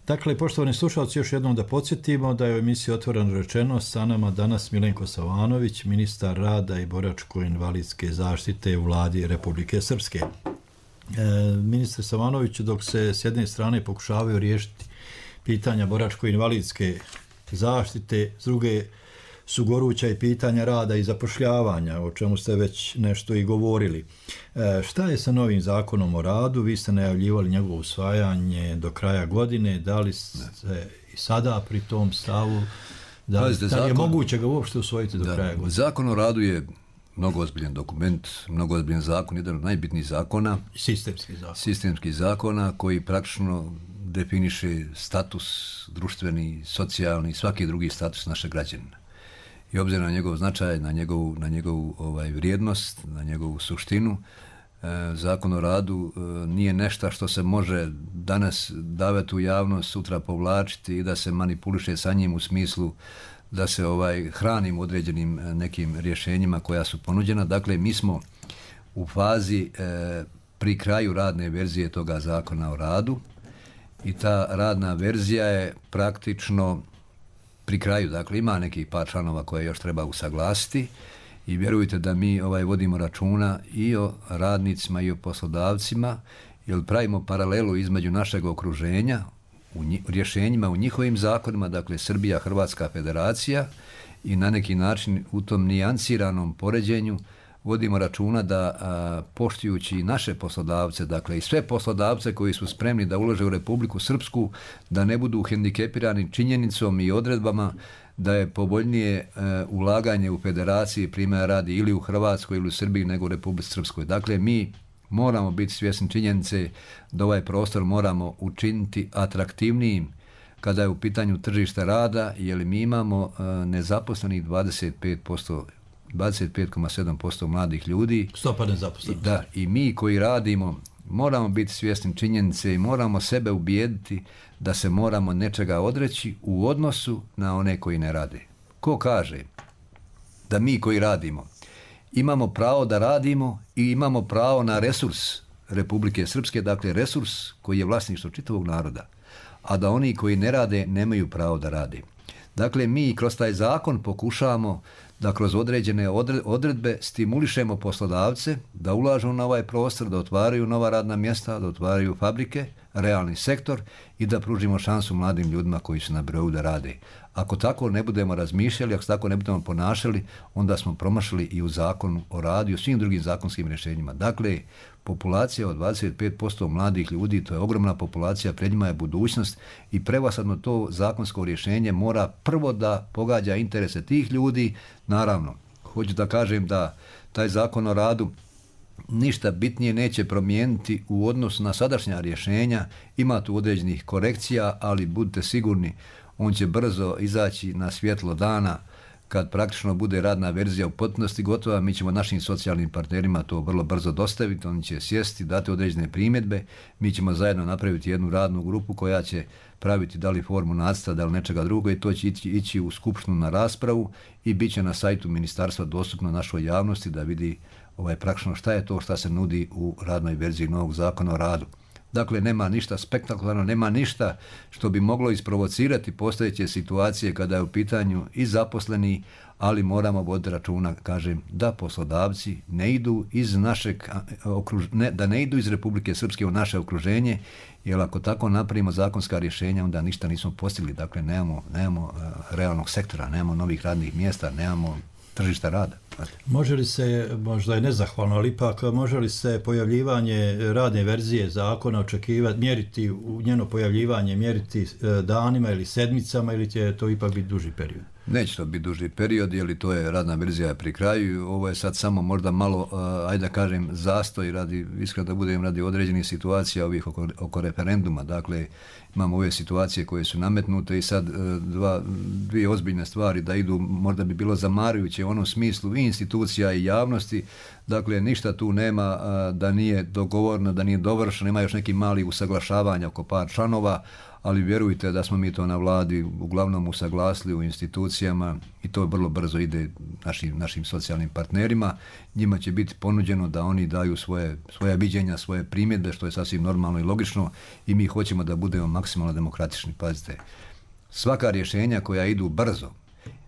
Dakle, poštovani slušalci, još jednom da podsjetimo da je u emisiji Otvoreno rečeno sa nama danas Milenko Savanović, ministar rada i boračko-invalidske zaštite u vladi Republike Srpske. E, ministar Savanović, dok se s jedne strane pokušavaju riješiti pitanja boračko-invalidske zaštite, s druge su goruća i pitanja rada i zapošljavanja, o čemu ste već nešto i govorili. E, šta je sa novim zakonom o radu? Vi ste najavljivali njegovo usvajanje do kraja godine. Da li ste i sada pri tom stavu? Da li, da li je moguće ga uopšte usvojiti do da, kraja godine? Zakon o radu je mnogo ozbiljan dokument, mnogo ozbiljan zakon, jedan od najbitnijih zakona. Sistemski zakon. Sistemskih zakona koji praktično definiše status društveni, socijalni, svaki drugi status našeg građanina. I obzirom na njegov značaj, na njegovu, na njegovu ovaj, vrijednost, na njegovu suštinu, e, Zakon o radu e, nije nešto što se može danas davati u javnost, sutra povlačiti i da se manipuliše sa njim u smislu da se ovaj hranim određenim nekim rješenjima koja su ponuđena. Dakle, mi smo u fazi e, pri kraju radne verzije toga Zakona o radu i ta radna verzija je praktično pri kraju. Dakle, ima nekih par članova koje još treba usaglasiti i vjerujte da mi ovaj vodimo računa i o radnicima i o poslodavcima, jer pravimo paralelu između našeg okruženja u nji, rješenjima u njihovim zakonima, dakle Srbija, Hrvatska federacija, i na neki način u tom nijansiranom poređenju vodimo računa da a, poštujući naše poslodavce, dakle i sve poslodavce koji su spremni da ulože u Republiku Srpsku, da ne budu hendikepirani činjenicom i odredbama da je povoljnije e, ulaganje u federaciji, primjera radi, ili u Hrvatskoj ili u Srbiji nego u Republici Srpskoj. Dakle, mi moramo biti svjesni činjenice da ovaj prostor moramo učiniti atraktivnijim kada je u pitanju tržišta rada, jer mi imamo e, nezaposlenih dvadeset pet posto, dvadeset pet zarez sedam posto mladih ljudi. Stopa nezaposlenosti. Da, i mi koji radimo moramo biti svjesni činjenice i moramo sebe ubijediti da se moramo nečega odreći u odnosu na one koji ne rade. Ko kaže da mi koji radimo imamo pravo da radimo i imamo pravo na resurs Republike Srpske, dakle resurs koji je vlasništvo čitavog naroda, a da oni koji ne rade nemaju pravo da rade. Dakle, mi kroz taj zakon pokušavamo da kroz određene odredbe stimulišemo poslodavce da ulažu na ovaj prostor, da otvaraju nova radna mjesta, da otvaraju fabrike, realni sektor i da pružimo šansu mladim ljudima koji su na birou da rade. Ako tako ne budemo razmišljali, ako tako ne budemo ponašali, onda smo promašili i u zakonu o radu i u svim drugim zakonskim rješenjima. Dakle, populacija od dvadeset pet posto mladih ljudi, to je ogromna populacija, pred njima je budućnost i prevashodno to zakonsko rješenje mora prvo da pogađa interese tih ljudi. Naravno, hoću da kažem da taj zakon o radu ništa bitnije neće promijeniti u odnosu na sadašnja rješenja, ima tu određenih korekcija, ali budite sigurni, on će brzo izaći na svjetlo dana kad praktično bude radna verzija u potpunosti gotova. Mi ćemo našim socijalnim partnerima to vrlo brzo dostaviti, oni će sjesti, dati određene primjedbe, mi ćemo zajedno napraviti jednu radnu grupu koja će praviti da li formu nacrta, da li nečega drugo, i to će ići, ići u skupštinu na raspravu i bit će na sajtu ministarstva dostupno našoj javnosti da vidi ovaj, praktično šta je to šta se nudi u radnoj verziji novog zakona o radu. Dakle, nema ništa spektakularno, nema ništa što bi moglo isprovocirati postojeće situacije kada je u pitanju i zaposleni, ali moramo voditi računa, kažem, da poslodavci ne idu iz našeg okruženja, da ne idu iz Republike Srpske u naše okruženje, jer ako tako napravimo zakonska rješenja, onda ništa nismo postigli. Dakle, nemamo, nemamo realnog sektora, nemamo novih radnih mjesta, nemamo tržišta rada. Može li se, možda je nezahvalno, ali ipak može li se pojavljivanje radne verzije zakona očekivati, mjeriti u njeno pojavljivanje, mjeriti danima ili sedmicama, ili će to ipak biti duži period? Neće to biti duži period, jer to je radna verzija pri kraju. Ovo je sad samo možda malo, ajde da kažem, zastoj radi, iskreno da budem, radi određenih situacija ovih oko, oko referenduma. Dakle, imamo ove situacije koje su nametnute i sad dva, dvije ozbiljne stvari da idu, možda bi bilo zamarujuće u onom smislu i institucija i javnosti. Dakle, ništa tu nema da nije dogovorno, da nije dovršeno, ima još neki mali usaglašavanja oko par članova, ali vjerujte da smo mi to na vladi uglavnom usaglasili u institucijama i to vrlo brzo ide našim, našim socijalnim partnerima. Njima će biti ponuđeno da oni daju svoje, svoje viđenja, svoje primjedbe, što je sasvim normalno i logično, i mi hoćemo da budemo maksimalno demokratični. Pazite, svaka rješenja koja idu brzo,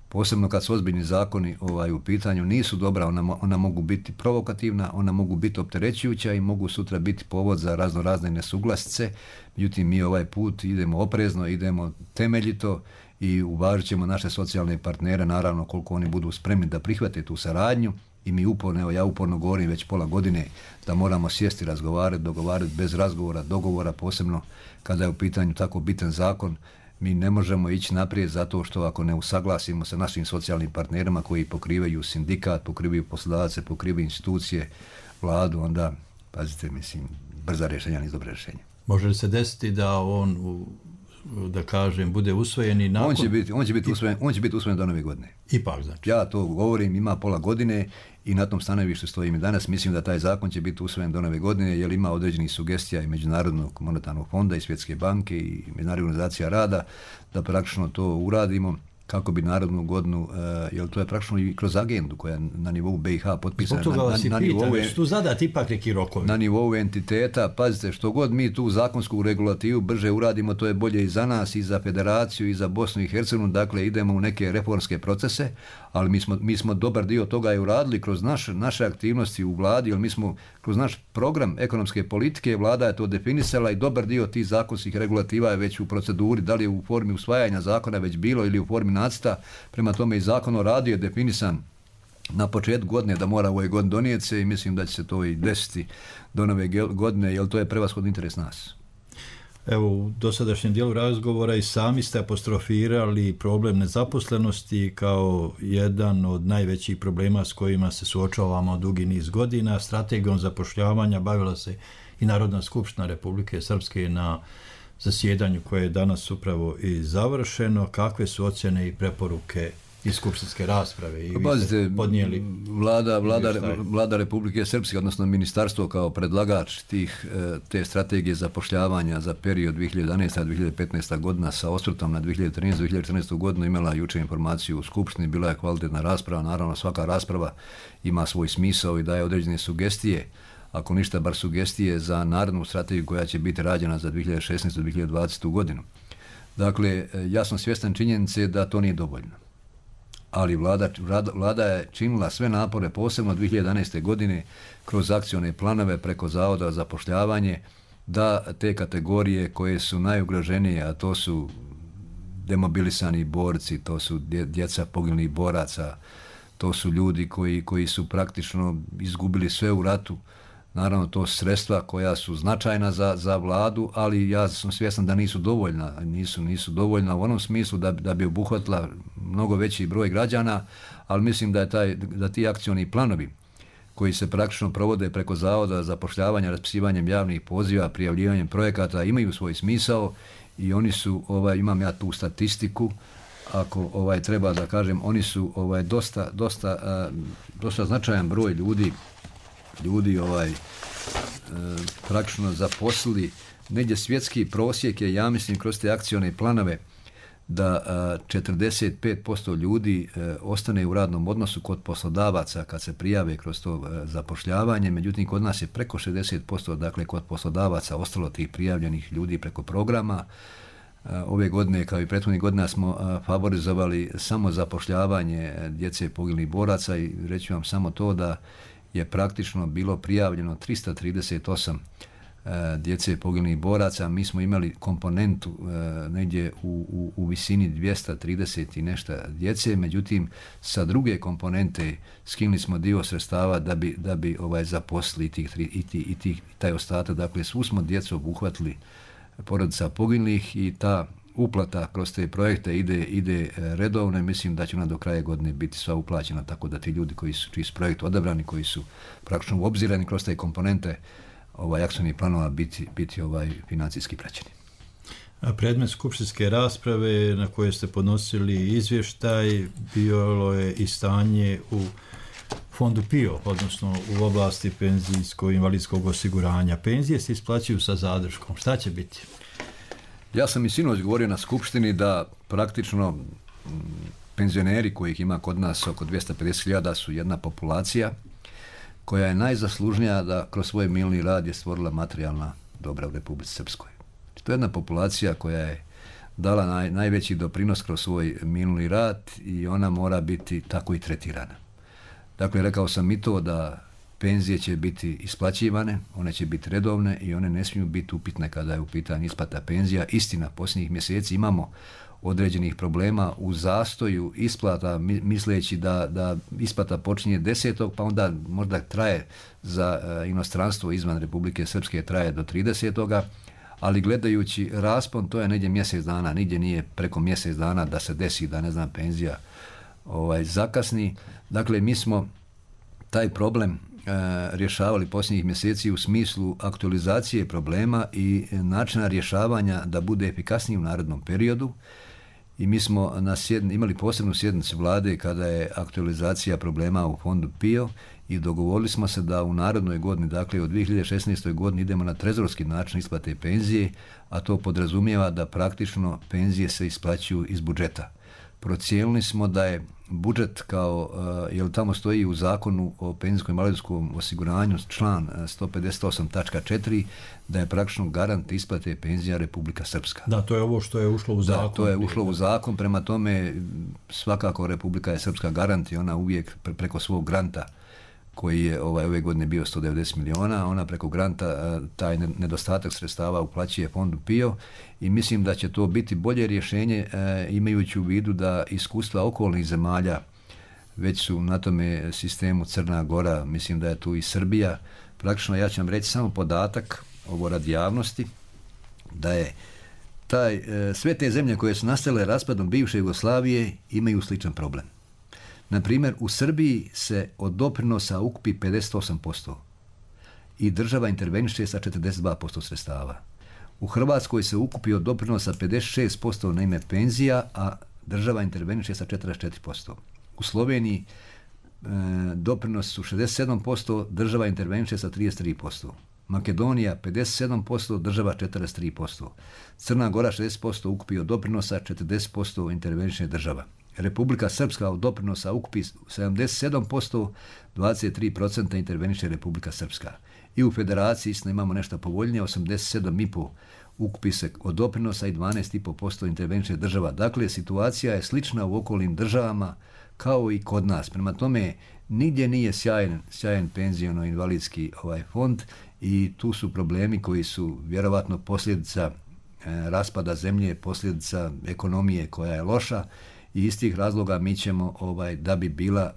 posebno kad su ozbiljni zakoni ovaj, u pitanju, nisu dobra, ona, ona mogu biti provokativna, ona mogu biti opterećujuća i mogu sutra biti povod za razno razne nesuglasice. Međutim, mi ovaj put idemo oprezno, idemo temeljito i uvažit ćemo naše socijalne partnere, naravno koliko oni budu spremni da prihvate tu saradnju, i mi uporno, evo ja uporno govorim već pola godine da moramo sjesti, razgovarati, dogovarati bez razgovora, dogovora, posebno kada je u pitanju tako bitan zakon. Mi ne možemo ići naprijed zato što ako ne usaglasimo sa našim socijalnim partnerima koji pokrivaju sindikat, pokrivaju poslodavce, pokrivaju institucije, vladu, onda, pazite, mislim, brza rješenja nisu dobre rješenja. Može li se desiti da on, da kažem, bude usvojen i nakon... On će biti, on će biti usvojen, on će biti usvojen do nove godine. Ipak, znači. Ja to govorim, ima pola godine i na tom stanovištu stojim i danas. Mislim da taj zakon će biti usvojen do nove godine jer ima određenih sugestija i Međunarodnog monetarnog fonda i Svjetske banke i Međunarodna organizacija rada da praktično to uradimo kako bi narodnu godinu, uh, jer to je praktično i kroz agendu koja je na nivou B i H potpisana. Zbog toga vas i na, na, pitam, nivou, što zadati ipak neki rokovi. Na nivou entiteta, pazite, što god mi tu zakonsku regulativu brže uradimo, to je bolje i za nas, i za federaciju, i za Bosnu i Hercegovinu, dakle idemo u neke reformske procese, ali mi smo, mi smo dobar dio toga i uradili kroz naš, naše aktivnosti u vladi, jer mi smo kroz naš program ekonomske politike, vlada je to definisala i dobar dio tih zakonskih regulativa je već u proceduri, da li je u formi usvajanja zakona već bilo ili u formi nacrta, prema tome i zakon o radu je definisan na početku godine da mora u ovoj godini donijeti se i mislim da će se to i desiti do nove godine, jer to je prevashodni interes nas. Evo, u dosadašnjem dijelu razgovora i sami ste apostrofirali problem nezaposlenosti kao jedan od najvećih problema s kojima se suočavamo dugi niz godina. Strategijom zapošljavanja bavila se i Narodna skupština Republike Srpske na zasjedanju koje je danas upravo i završeno. Kakve su ocjene i preporuke iz skupštinske rasprave? I Pazite, podnijeli vlada, vlada, vlada Republike Srpske, odnosno ministarstvo kao predlagač tih, te strategije zapošljavanja za period dvije hiljade jedanaesta do dvije hiljade petnaesta godina sa osvrtom na dvije hiljade trinaestu do dvije hiljade četrnaestu godinu imala jučer informaciju u skupštini, bila je kvalitetna rasprava, naravno svaka rasprava ima svoj smisao i daje određene sugestije, ako ništa bar sugestije za narednu strategiju koja će biti rađena za dvije hiljade šesnaestu do dvije hiljade dvadesetu godinu. Dakle, ja sam svjestan činjenice da to nije dovoljno. Ali vlada, vlada je činila sve napore, posebno dvije hiljade jedanaeste godine, kroz akcione planove preko Zavoda za zapošljavanje, da te kategorije koje su najugroženije, a to su demobilisani borci, to su djeca poginulih boraca, to su ljudi koji, koji su praktično izgubili sve u ratu. Naravno, to sredstva koja su značajna za, za vladu, ali ja sam svjestan da nisu dovoljna, nisu, nisu dovoljna u onom smislu da, da bi obuhvatila mnogo veći broj građana, ali mislim da je taj, da ti akcioni planovi koji se praktično provode preko Zavoda zapošljavanja, raspisivanjem javnih poziva, prijavljivanjem projekata, imaju svoj smisao i oni su, ovaj, imam ja tu statistiku, ako ovaj treba da kažem, oni su ovaj dosta, dosta, uh, dosta značajan broj ljudi ljudi ovaj e, praktično zaposlili. Negdje svjetski prosjek je, ja mislim, kroz te akcione planove da a, četrdeset pet posto ljudi e, ostane u radnom odnosu kod poslodavaca kad se prijave kroz to e, zapošljavanje, međutim kod nas je preko šezdeset posto, dakle kod poslodavaca ostalo tih prijavljenih ljudi preko programa. A, ove godine, kao i prethodnih godina, smo a, favorizovali samo zapošljavanje djece poginulih boraca i reći vam samo to da je praktično bilo prijavljeno trista trideset osam e, djece poginulih boraca. Mi smo imali komponentu e, negdje u, u, u visini dvjesto trideset i nešto djece, međutim sa druge komponente skinuli smo dio sredstava da bi, da bi ovaj zaposlili tih, i, tih, i tih, taj ostatak. Dakle, svu smo djecu obuhvatili porodica poginulih i ta uplata kroz te projekte ide, ide redovno i mislim da će ona do kraja godine biti sva uplaćena, tako da ti ljudi koji su, čiji su projekt odabrani, koji su praktično obzirani kroz te komponente ovaj, akcijnih planova biti, biti ovaj, financijski praćeni. A predmet skupštinske rasprave na koje ste podnosili izvještaj bilo je i stanje u fondu P I O, odnosno u oblasti penzijsko-invalidskog osiguranja. Penzije se isplaćuju sa zadrškom. Šta će biti? Ja sam i sinoć govorio na skupštini da praktično penzioneri kojih ima kod nas oko dvjesto pedeset hiljada su jedna populacija koja je najzaslužnija da kroz svoj minuli rad je stvorila materijalna dobra u Republici Srpskoj. To je jedna populacija koja je dala naj, najveći doprinos kroz svoj minuli rad i ona mora biti tako i tretirana. Dakle, rekao sam i to da penzije će biti isplaćivane, one će biti redovne i one ne smiju biti upitne kada je u pitanju isplata penzija. Istina, posljednjih mjeseci imamo određenih problema u zastoju isplata, misleći da, da isplata počinje desetog pa onda možda traje za uh, inostranstvo izvan Republike Srpske traje do tridesetoga ali gledajući raspon, to je negdje mjesec dana, nigdje nije preko mjesec dana da se desi da, ne znam, penzija ovaj, zakasni. Dakle, mi smo taj problem e, rješavali posljednjih mjeseci u smislu aktualizacije problema i načina rješavanja da bude efikasniji u narednom periodu. I mi smo na sjedni, imali posebnu sjednicu vlade kada je aktualizacija problema u fondu P I O i dogovorili smo se da u narednoj godini, dakle u dvije hiljade šesnaestoj godini idemo na trezorski način isplate penzije, a to podrazumijeva da praktično penzije se isplaćuju iz budžeta. Procijenili smo da je budžet kao, jer tamo stoji u zakonu o penzijskom i invalidskom osiguranju član sto pedeset osam tačka četiri, da je praktično garant isplate penzija Republika Srpska. Da, to je ovo što je ušlo u zakon. Da, to je ušlo u zakon, prema tome svakako Republika je Srpska garant i ona uvijek preko svog granta koji je ovaj, ove godine bio sto devedeset miliona, ona preko granta taj nedostatak sredstava uplaćuje fondu P I O i mislim da će to biti bolje rješenje imajući u vidu da iskustva okolnih zemalja već su na tome sistemu Crna Gora, mislim da je tu i Srbija. Praktično ja ću vam reći samo podatak, ovo radi javnosti, da je taj, sve te zemlje koje su nastale raspadom bivše Jugoslavije imaju sličan problem. Na primjer, u Srbiji se od doprinosa ukupi pedeset osam posto i država interveniše sa četrdeset dva posto sredstava. U Hrvatskoj se ukupi od doprinosa pedeset šest posto na ime penzija, a država interveniše sa četrdeset četiri posto. U Sloveniji e, doprinos su šezdeset sedam posto, država interveniše sa trideset tri posto. Makedonija pedeset sedam posto, država četrdeset tri posto. Crna Gora šezdeset posto ukupi od doprinosa, četrdeset posto interveniše država. Republika Srpska od doprinosa ukupi sedamdeset sedam posto, dvadeset tri posto interveniše Republika Srpska. I u federaciji isto imamo nešto povoljnije, osamdeset sedam i pol ukupi se od doprinosa i dvanaest i pol posto interveniše država. Dakle, situacija je slična u okolnim državama kao i kod nas. Prema tome, nigdje nije sjajan, sjajan penziono-invalidski ovaj fond i tu su problemi koji su vjerovatno posljedica e, raspada zemlje, posljedica ekonomije koja je loša. I iz tih razloga mi ćemo, ovaj, da bi bila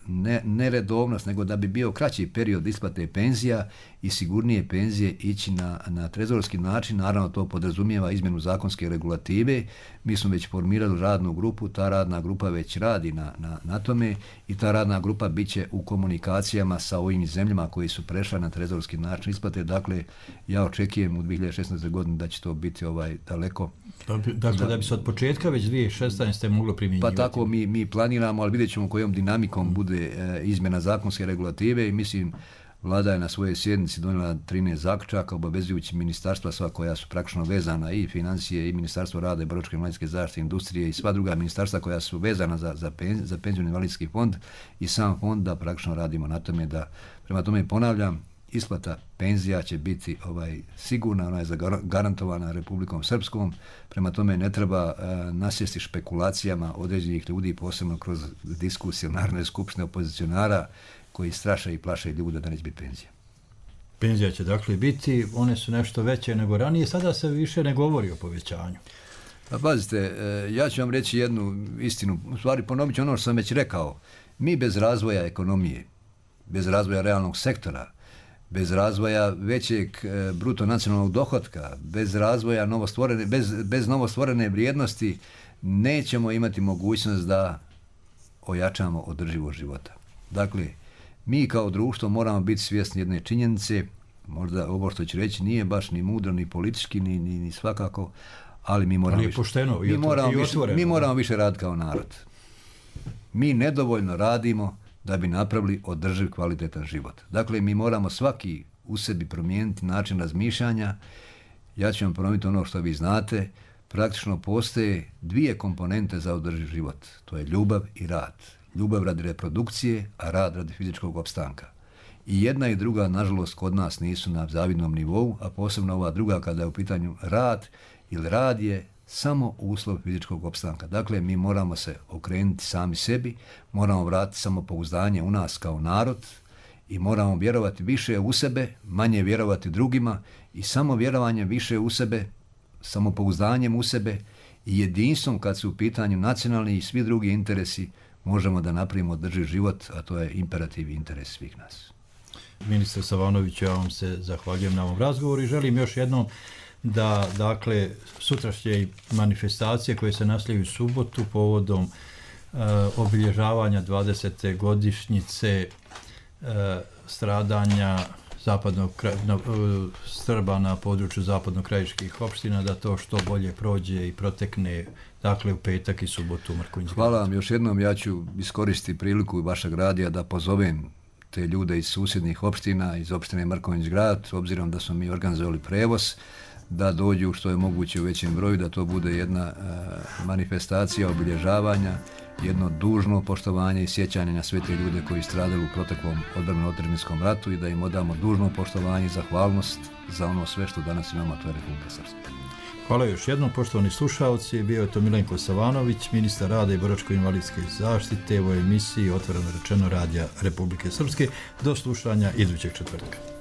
ne, ne redovnost, nego da bi bio kraći period isplate penzija i sigurnije penzije ići na, na trezorski način. Naravno, to podrazumijeva izmjenu zakonske regulative. Mi smo već formirali radnu grupu, ta radna grupa već radi na, na, na tome i ta radna grupa bit će u komunikacijama sa ovim zemljama koji su prešla na trezorski način isplate. Dakle, ja očekujem u dvije hiljade šesnaestoj godini da će to biti ovaj daleko. Dakle, da, da bi se od početka već dvije hiljade šesnaeste moglo primjenjivati. Pa tako mi, mi planiramo, ali vidjet ćemo kojom dinamikom bude e, izmjena zakonske regulative i mislim Vlada je na svojoj sjednici donijela trinaest zaključaka obavezujući ministarstva sva koja su praktično vezana i financije i Ministarstvo rada i boračke i invalidske zaštite, industrije i sva druga ministarstva koja su vezana za, za, pen, za penzijski invalidski fond i sam fond da praktično radimo na tome da, prema tome ponavljam, isplata penzija će biti ovaj sigurna, ona je garantovana Republikom Srpskom, prema tome ne treba uh, nasjesti špekulacijama određenih ljudi, posebno kroz diskusije Narodne skupštine opozicionara koji straše i plaše ljude da neće biti penzija. Penzija će dakle biti, one su nešto veće nego ranije, sada se više ne govori o povećanju. Pa pazite, ja ću vam reći jednu istinu, u stvari ponovit ću ono što sam već rekao, mi bez razvoja ekonomije, bez razvoja realnog sektora, bez razvoja većeg bruto nacionalnog dohotka, bez razvoja novostvorene, bez, bez novostvorene vrijednosti, nećemo imati mogućnost da ojačamo održivost života. Dakle, mi kao društvo moramo biti svjesni jedne činjenice, možda ovo što ću reći nije baš ni mudro, ni politički, ni, ni, ni svakako, ali mi moramo, ali više, pošteno, mi moramo, više, mi moramo više raditi kao narod. Mi nedovoljno radimo da bi napravili održiv kvalitetan život. Dakle, mi moramo svaki u sebi promijeniti način razmišljanja. Ja ću vam ponoviti ono što vi znate. Praktično postoje dvije komponente za održiv život. To je ljubav i rad. Ljubav radi reprodukcije, a rad radi fizičkog opstanka. I jedna i druga, nažalost, kod nas nisu na zavidnom nivou, a posebno ova druga kada je u pitanju rad, ili rad je samo uslov fizičkog opstanka. Dakle, mi moramo se okrenuti sami sebi, moramo vratiti samopouzdanje u nas kao narod i moramo vjerovati više u sebe, manje vjerovati drugima i samo vjerovanje više u sebe, samopouzdanjem u sebe i jedinstvom kad su u pitanju nacionalni i svi drugi interesi možemo da napravimo održiv život, a to je imperativ i interes svih nas. Ministar Savanović, ja vam se zahvaljujem na ovom razgovoru i želim još jednom da, dakle, sutrašnje manifestacije koje se nastavljaju u subotu povodom uh, obilježavanja dvadesete godišnjice uh, stradanja zapadnog na, uh, Srba na području zapadno-krajiških opština, da to što bolje prođe i protekne, dakle, u petak i subotu u Mrkonjić grad. Hvala vam još jednom, ja ću iskoristiti priliku vašeg radija da pozovem te ljude iz susjednih opština, iz opštine Mrkonjić grad, obzirom da smo mi organizovali prevoz, da dođu što je moguće u većem broju, da to bude jedna uh, manifestacija obilježavanja, jedno dužno poštovanje i sjećanje na sve te ljude koji stradali u proteklom odbrambeno-otadžbinskom ratu i da im odamo dužno poštovanje i zahvalnost za ono sve što danas imamo, a to je Republika Srpska. Hvala još jednom, poštovani slušalci. Bio je to Milenko Savanović, ministar rada i boračko-invalidske zaštite u emisiji Otvoreno rečeno Radija Republike Srpske. Do slušanja idućeg četvrtka.